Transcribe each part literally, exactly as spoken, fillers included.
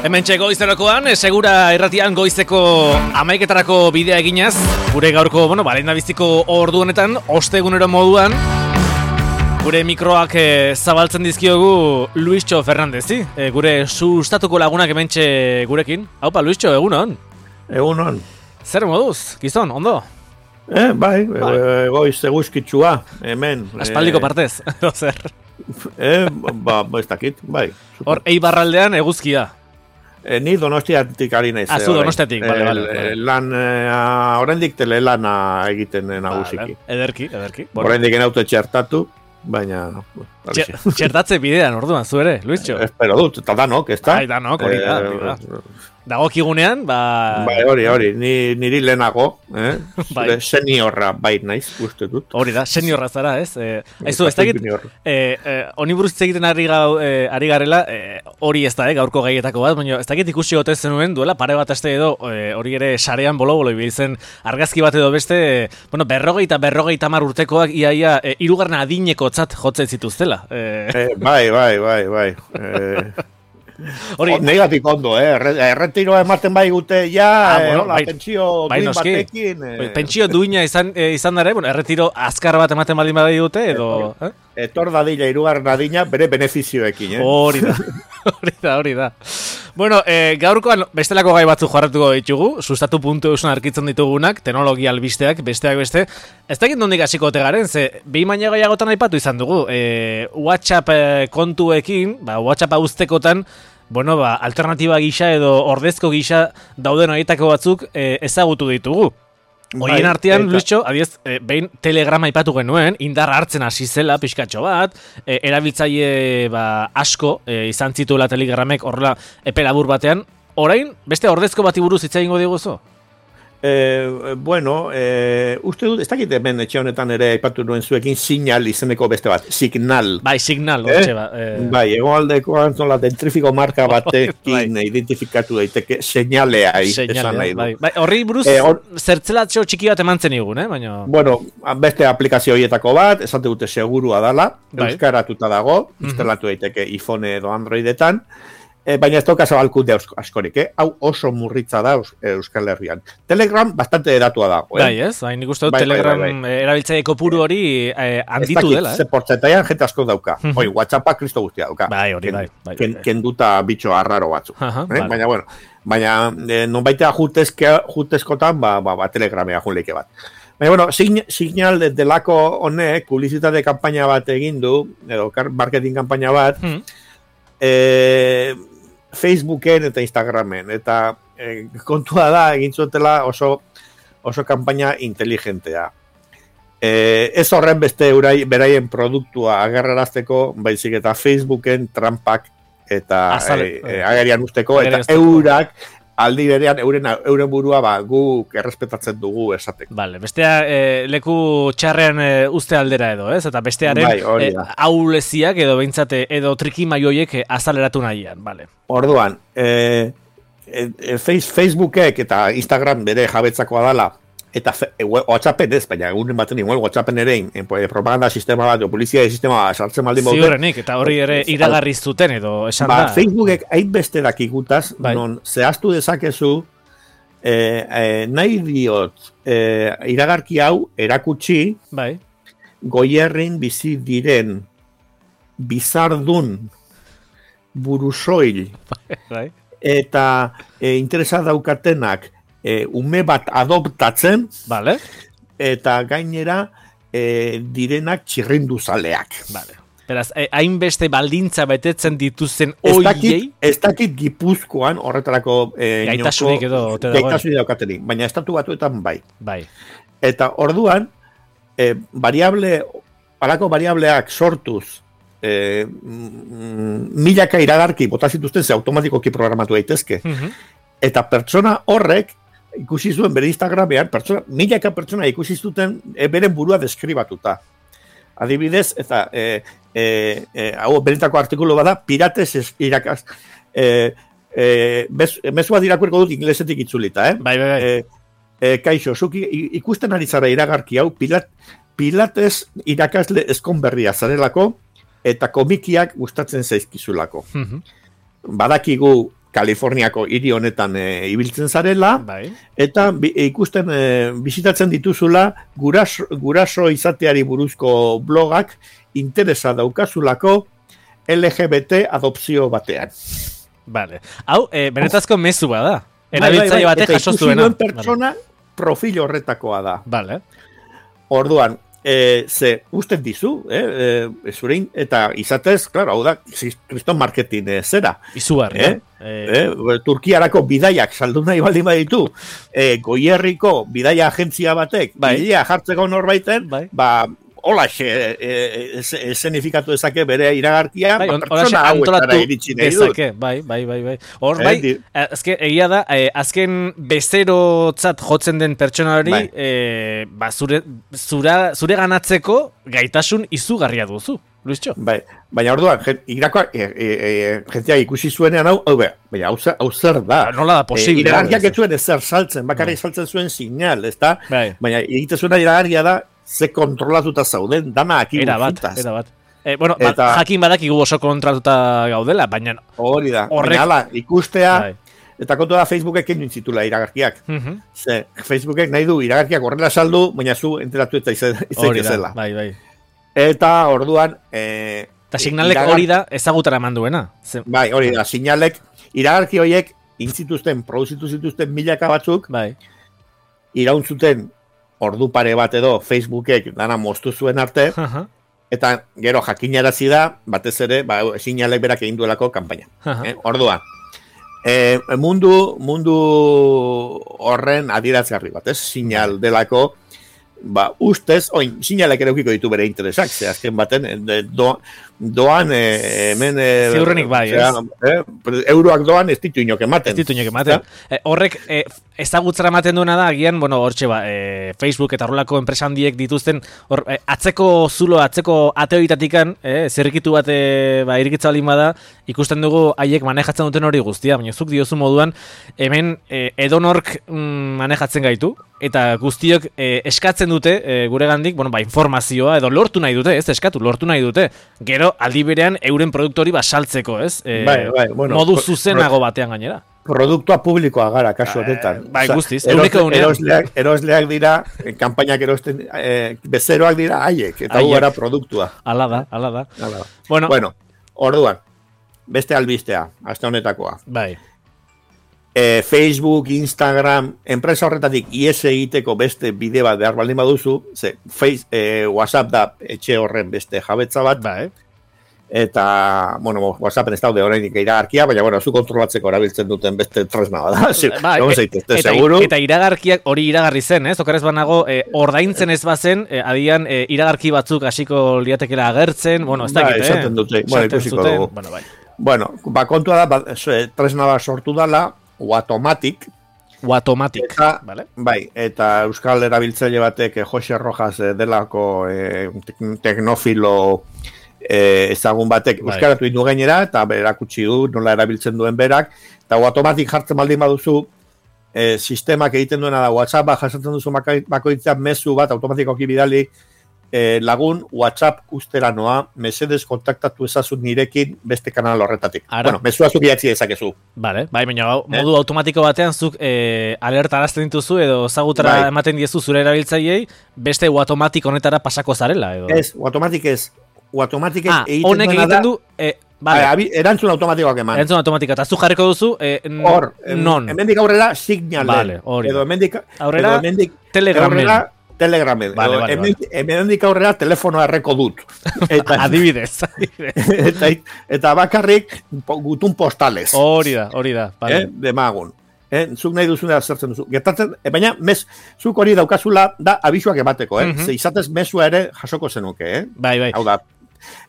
Hemen goizerakoan, segura irratian goizeko amaiketarako bidea eginaz, gure gaurko, bueno, balenda biziko ordu honetan, ostegunero moduan, gure mikroak e, zabaltzen dizkiogu Luischo Fernandezi, e, gure sustatuko lagunak hementxe gurekin. Haupa, Luischo, egunon? Egunon. Zer moduz, gizon, ondo? Eh, bai, bai. E, goiz eguzkitsua, hemen. Aspaldiko partez, edo zer? Eh, ba, ez dakit, bai. Hor, eibarraldean eguzkia. E, ni Donostiatik ari naiz. Azu Donostiatik, bale, bale. E, lan, e, oraindik telelana egiten nagusiki. Vale, ederki, ederki. Bueno. Oraindik enaute txertatu, baina... Txertatze bidean, orduan, zu ere, Luischo? Espero dut, eta danok, ez da? Ai, danok, hori da, hori da. Dagokigunean, ba... Bai, hori, hori, ni, niri lehenago, eh? Zure seniorra bai naiz, uste dut. Hori da, seniorra zara, ez? Eh, Aizu, ez dakit, eh, eh, honi buruz egiten ari, gau, eh, ari garela, eh, hori ez da, eh, gaurko gaietako bat, baina ez dakit ikusi gote zenuen, duela pare bat aste edo, eh, hori ere sarean bolo-bolo ibiltzen argazki bat edo beste, eh, bueno, berrogeita, berrogeita mar urtekoak iaia, eh, irugarren adineko tzat jotzen zituztela. Eh. Eh, bai, bai, bai, bai. Eh... Hori, negatik ondo, eh? Erretiroa ematen bai gute, ja, ah, bueno, eh, bai, pentsio bai, duin noski. batekin. Eh. Pentsio duina izan, eh, izan dara, bueno, erretiro azkar bat ematen baldin bai dute, edo... Eh? Etor dadila, irugarren adina, bere benefizioekin, eh? Hori da, hori da, hori da. Bueno, eh, gaurkoan bestelako gai batzu jarratuko ditugu, sustatu puntu eusen arkitzen ditugunak, teknologia albisteak, besteak beste. Ez dakit nondik hasiko ote garen, ze behin baina gaiagotan aipatu izan dugu, eh, WhatsApp eh, kontuekin, ba, WhatsApp uztekotan, bueno, ba, alternatiba gisa edo ordezko gisa dauden horietako batzuk eh, ezagutu ditugu. Horien bai, artean, eta... Luischo, adiez, eh, behin telegrama aipatu genuen, indarra hartzen hasi zela, pixkatxo bat, eh, erabiltzaile ba, asko eh, izan zituela telegramek horrela epe labur batean. Orain, beste ordezko bati buruz hitz egingo diguzu? Eh, bueno, eh, uste dut, ez dakit hemen etxe honetan ere aipatu nuen zuekin Signal izeneko beste bat, Signal. Bai, Signal, eh? hortxe bat. Eh... Bai, egoaldeko antzola dentrifiko marka batekin bai. Identifikatu daiteke seinalea esan nahi du. Bai, bai, horri buruz eh, or... zertzelatxo txiki bat emantzen igun, eh? Baina... Bueno, beste aplikazio horietako bat, esate dute segurua dala, bai. Euskaratuta dago, mm-hmm. instalatu daiteke iPhone edo Androidetan, E, baina ez toka zabalkunde askorik, eh? Hau oso murritza da Euskal Herrian. Telegram bastante datua da. Eh? Bai, ez? Bai, nik uste dut bai, Telegram bai, bai, bai. erabiltzaile kopuru hori eh, handitu dela, eh? Ze portzentaian jente asko dauka. Hoi, WhatsAppa kristo guztia dauka. Bai, hori, bai. bai, ken, bai. Kenduta bitxo arraro batzu. Aha, eh? Baina, bueno, baina eh, non baitea jutezkotan, ba, ba, ba Telegramea junleike bat. Baina, bueno, Signal delako honek, publizitate kanpaina bat egin du, edo marketing kanpaina bat, hmm. eh, Facebooken eta Instagramen, eta eh, kontua da egin zutela oso, oso kanpaina inteligentea. Eh, ez horren beste urai, beraien produktua agerrarazteko, baizik eta Facebooken trampak eta Azale, eh, agerian usteko, eta eurak aldi berean euren, euren burua ba, guk errespetatzen dugu esateko. Vale, bestea eh, leku txarrean eh, uste aldera edo, ez? Eta bestearen bai, eh, auleziak edo beintzate edo trikimaioiek eh, azaleratu nahian, vale. Orduan, eh, eh, Facebookek eta Instagram bere jabetzakoa dala, eta e, WhatsAppen ez, baina egunen baten igual WhatsAppen ere in, propaganda sistema bat, o polizia sistema bat sartzen maldin baute. Ziurrenik, eta hori ere iragarri zuten edo esan ba, da. Facebookek hainbeste dakikutaz, bai. Non zehaztu dezakezu, eh, eh, nahi diot eh, iragarki hau erakutsi, bai. Goierrin bizi diren bizardun burusoil bai. Eta eh, interesa daukatenak E, ume bat adoptatzen, vale. Eta gainera e, direnak txirrinduzaleak. Vale. Beraz, hainbeste e, baldintza betetzen dituzten oiei? Ez dakit Gipuzkoan horretarako e, gaitasunik edo gaitasunik daukatenik, baina estatu batuetan bai. Bai. Eta orduan, e, variable, halako variableak sortuz, e, mm, milaka iragarki bota zituzten ze automatikoki programatu daitezke. Mm-hmm. Eta pertsona horrek, ikusi zuen bere Instagramean, pertsona, milaka pertsona ikusi zuten e, beren burua deskribatuta. Adibidez, eta e, e, e, hau benetako artikulu bada, pirates irakaz, e, e, mezua dirakurko dut inglesetik itzulita, eh? Bai, bai, bai. E, e, kaixo, zuki ikusten ari zara iragarki hau, pilat, pilates irakasle eskonberria zarelako, eta komikiak gustatzen zaizkizulako. Mm-hmm. Badakigu Kaliforniako hiri honetan e, ibiltzen zarela, bai. eta bi, ikusten e, bisitatzen dituzula guraso, guraso izateari buruzko blogak interesa daukazulako L G B T adopzio batean. Vale. Hau, e, benetazko mezu bada. Erabiltzaile batek jaso zuena. Eta ikusi duen pertsona profil horretakoa da. Vale. Orduan, e, ze usten dizu, eh, e, zurein, eta izatez, claro, hau da, kriston marketing e, zera. Izugarri, eh? Eh? Eh, Turkiarako bidaiak saldu nahi baldin baditu, eh, Goierriko bidaia agentzia batek, bai. bidea jartzeko norbaiten, bai. ba, holaxe esenifikatu dezake bere iragarkia, bai, ba, on, pertsona hauetara iritsi nahi dut. Dezake, bai, bai, bai, bai. Hor, bai, eh, azken, egia da, eh, azken bezerotzat jotzen den pertsona hori, bai. eh, ba, zure, zura, zure ganatzeko gaitasun izugarria duzu, Luischo. Bai, baina orduan, irakoa, e, e, e, jentia ikusi zuenean hau, hau, baina hau, hau zer da. Ba, nola da posible. E, iragarkiak ez zuen ezer saltzen, bakarrik bai. saltzen zuen signal, ez da? Bai. Baina egite zuena iragarkia da, ze kontrolatuta zauden, dana aki era bat, guztaz. Era bat. Eh, bueno, eta, ba, jakin badakigu oso kontrolatuta gaudela, baina... Hori da, horrek... baina ala, ikustea, bai. eta kontu da Facebookek egin zitula iragarkiak. Uh -huh. Ze, Facebookek nahi du iragarkiak horrela saldu, baina zu enteratu eta izan zela. Bai, bai. Eta orduan... Eh, eta signalek iragar... hori da ezagutara eman duena. Zer... Bai, hori da, signalek, iragarki horiek, intzituzten, produzitu zituzten milaka batzuk, bai. irauntzuten ordu pare bat edo Facebookek dana moztu zuen arte, uh -huh. eta gero jakinarazi da, batez ere, ba, signalek berak egin duelako kanpaina. Uh -huh. eh, orduan, eh, mundu, mundu horren adierazgarri bat, ez? Signal delako, ba, ustez, oin, signalek ere ukiko ditu bere interesak, ze azken baten, do, doan, e, hemen... E, ziurrenik bai, ez? Eh, euroak doan ez ditu inok ematen. Ez ditu inok ematen. Eh, horrek, eh, ezagutzara ematen duena da, agian, bueno, hortxe ba, eh, Facebook eta horrelako enpresa handiek dituzten, hor, eh, atzeko zulo, atzeko ateoitatikan, eh, zerrikitu bat, eh, ba, irikitza balin bada, ikusten dugu haiek manejatzen duten hori guztia, baina zuk diozu moduan, hemen eh, edonork mm, manejatzen gaitu, eta guztiok eh, eskatzen dute, eh, gure gandik, bueno, ba, informazioa, edo lortu nahi dute, ez eskatu, lortu nahi dute, gero, aldi berean euren produktori basaltzeko, ez? E, bai, bai, bueno, modu zuzenago batean gainera. Produktua publikoa gara, kasu honetan. Bai, guztiz. Erosle, erosleak, erosleak dira, kanpainak erosten, eh, bezeroak dira haiek, eta hu gara produktua. Ala da, ala da. Ala da. Bueno, bueno, orduan, beste albistea, aste honetakoa. Bai. E, Facebook, Instagram, enpresa horretatik ies egiteko beste bide bat behar baldin baduzu, ze, face, e, WhatsApp da etxe horren beste jabetza bat, bai. Eta, bueno, WhatsAppen ez daude horreinik iragarkia, baina, bueno, zu kontrolatzeko erabiltzen duten beste tresna da. Bai, eta, eta iragarkiak hori iragarri zen, ez? Okarez banago, eh, ordaintzen ez bazen, eh, adian eh, iragarki batzuk hasiko liatekela agertzen, bueno, ez dakit, eh? Esaten dute, bueno, ikusiko dugu. Bueno, bai. Bueno, ba, kontua da, ba, tresna bat sortu dala, Watomatic. Watomatic, eta, vale? Bai, eta euskal erabiltzaile batek, eh, Jose Rojas delako eh, teknofilo eh, ezagun batek bai. Euskaratu indu gainera, eta berakutsi du, nola erabiltzen duen berak, eta Watomatic jartzen baldin baduzu, eh, sistemak egiten duena da, WhatsApp bat jasatzen duzu bakoitzak mezu bat, automatikoki bidali, Eh, lagun WhatsApp ustera noa, mesedez kontaktatu ezazun nirekin beste kanal horretatik. Ara. Bueno, mezua zuk idatzi dezakezu. Vale, bai, baina modu eh? automatiko batean zuk eh, alerta arazten dituzu edo zagutara bai. Ematen diezu zure erabiltzaileei beste Watomatic honetara pasako zarela. Edo. Ez, Watomatic ez. Watomatic ez ah, egiten honek egiten du... Eh, vale. Abi, erantzun automatikoak eman. Erantzun automatikoa, eta zu jarriko duzu eh, hor, non. Hemendik aurrera Signal. Vale, hori. Edo hemendik aurrera Telegramen. Telegramen. Vale, vale, hemen, vale. Hemendik aurrera telefonoa erreko dut. Eta, adibidez. eta, eta bakarrik gutun postales. Hori da, hori da. Vale. Eh, demagun. Eh, zuk nahi duzunera zertzen duzu. Gertatzen, eh, baina mes, zuk hori daukazula da abisuak emateko, eh? Uh -huh. Ze izatez mesua ere jasoko zenuke, eh? Bai, bai. Hau da.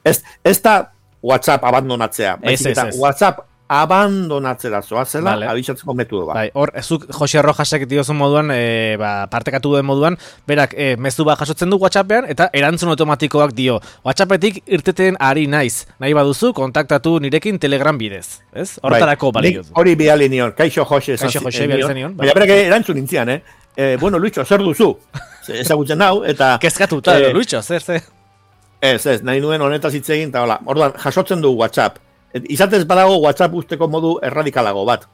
Ez, ez da WhatsApp abandonatzea. Ez, ez, ez. WhatsApp abandonatzera zoazela, vale. Abisatzeko metodo bat. Bai, hor, zuk Jose Rojasek diozun moduan, e, ba, partekatu duen moduan, berak, e, mezu bat jasotzen du WhatsAppean, eta erantzun automatikoak dio. WhatsAppetik irteten ari naiz. Nahi baduzu, kontaktatu nirekin Telegram bidez. Ez? Hortarako bai. Balio. Hori bidali nion, kaixo Jose. Kaixo Jose bidali nion. Baina berak erantzun nintzian, eh? eh bueno, Luitxo, zer duzu? Ezagutzen hau, eta... Kezkatuta, eh, Luitxo, zer, zer? Ez, ez, nahi nuen honetaz hitz egin, eta hola. Orduan, jasotzen du WhatsApp. izatez badago WhatsApp usteko modu erradikalago bat.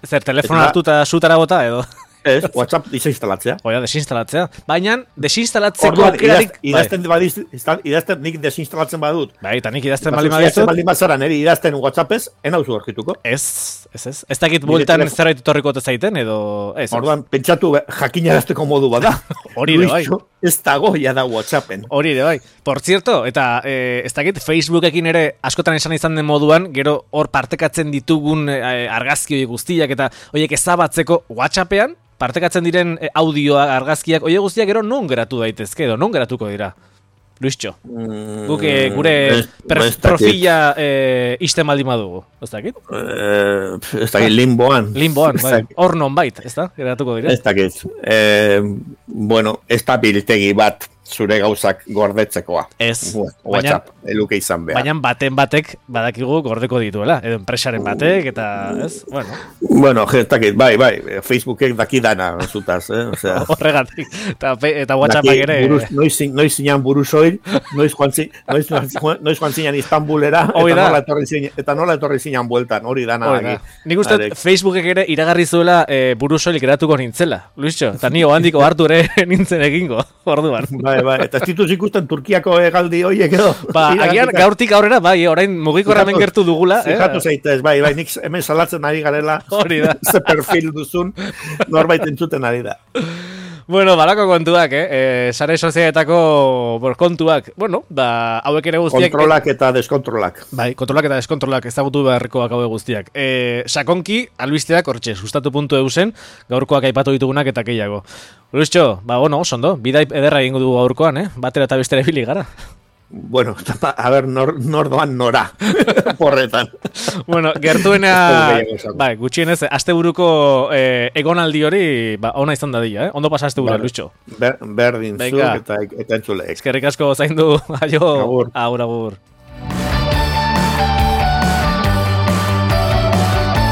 Zer, telefono hartuta sutara bota edo? Ez, WhatsApp desinstalatzea. Oia, desinstalatzea. Baina, desinstalatzeko Orduan, aukerarik... idazten, bai. idazten, idazten nik desinstalatzen badut. Bai, eta nik idazten baldin badizut. Idazten baldin bazara, niri idazten WhatsAppez, enauzu horkituko. Ez, ez, ez. Ez dakit bueltan zerbait etorriko zaiten, edo... Ez, orduan, pentsatu jakinarazteko modu bada. Hori ere bai. Ez dago, ja da WhatsAppen. Hori ere bai. Por cierto, eta eh, ez dakit Facebookekin ere askotan esan izan den moduan, gero hor partekatzen ditugun eh, argazki guztiak eta horiek ezabatzeko WhatsAppean, partekatzen diren audioa, argazkiak, oie guztiak gero non geratu daitezke edo, non geratuko dira? Luischo, mm, guk gure per, profila eh, isten baldin badugu, ez dakit? Eh, ez dakit, limboan. Limboan, bai, hor non bait, ez da? Geratuko dira? Ez dakit, eh, bueno, ez da biltegi bat zure gauzak gordetzekoa. Ez. WhatsApp, eluke izan behar. Baina baten batek badakigu gordeko dituela, edo enpresaren batek, eta, ez? Bueno, bueno ez dakit, bai, bai, Facebookek daki dana, zutaz, eh? O sea, horregatik, eta, eta WhatsAppak ere... Buruz, noiz, noiz zinan buruzoil, noiz joan, zi, noiz, noiz joan zinan Istanbulera, eta nola, etorri zinan, eta nola etorri zinan bueltan, hori dana. Hori da. Nik uste Facebookek ere iragarri zuela e, buruzoil geratuko nintzela, Luischo, eta ni ohandiko hartu ere nintzen egingo, orduan. Bai, bai, eta ez dituz ikusten Turkiako egaldi horiek edo. Ba, agian gaurtik aurrera, bai, orain mugikorra hemen gertu dugula. Fijatu eh? Zaitez, bai, bai, nik hemen salatzen ari garela. Hori da. Ze perfil duzun, norbait entzuten ari da. Bueno, balako kontuak, eh? E, sare sozialetako kontuak, bueno, ba, hauek ere guztiak... Kontrolak eta deskontrolak. Bai, kontrolak eta deskontrolak ezagutu beharrekoak hauek guztiak. E, sakonki, albisteak, hortxe, sustatu puntu eusen, gaurkoak aipatu ditugunak eta gehiago. Luischo, ba, bueno, oso ondo, bidai ederra egingo dugu gaurkoan, eh? Batera eta bestere bili gara. Bueno, a ver, nor, nor doan nora, porretan. Bueno, gertuena, bai, gutxienez, asteburuko eh, egonaldi hori, ba, ona izan dadila, eh? Ondo pasa asteburu, Luischo. Ber, berdin zu eta, eta entzuleek. Eskerrik asko zaindu, aio, agur, agur. agur.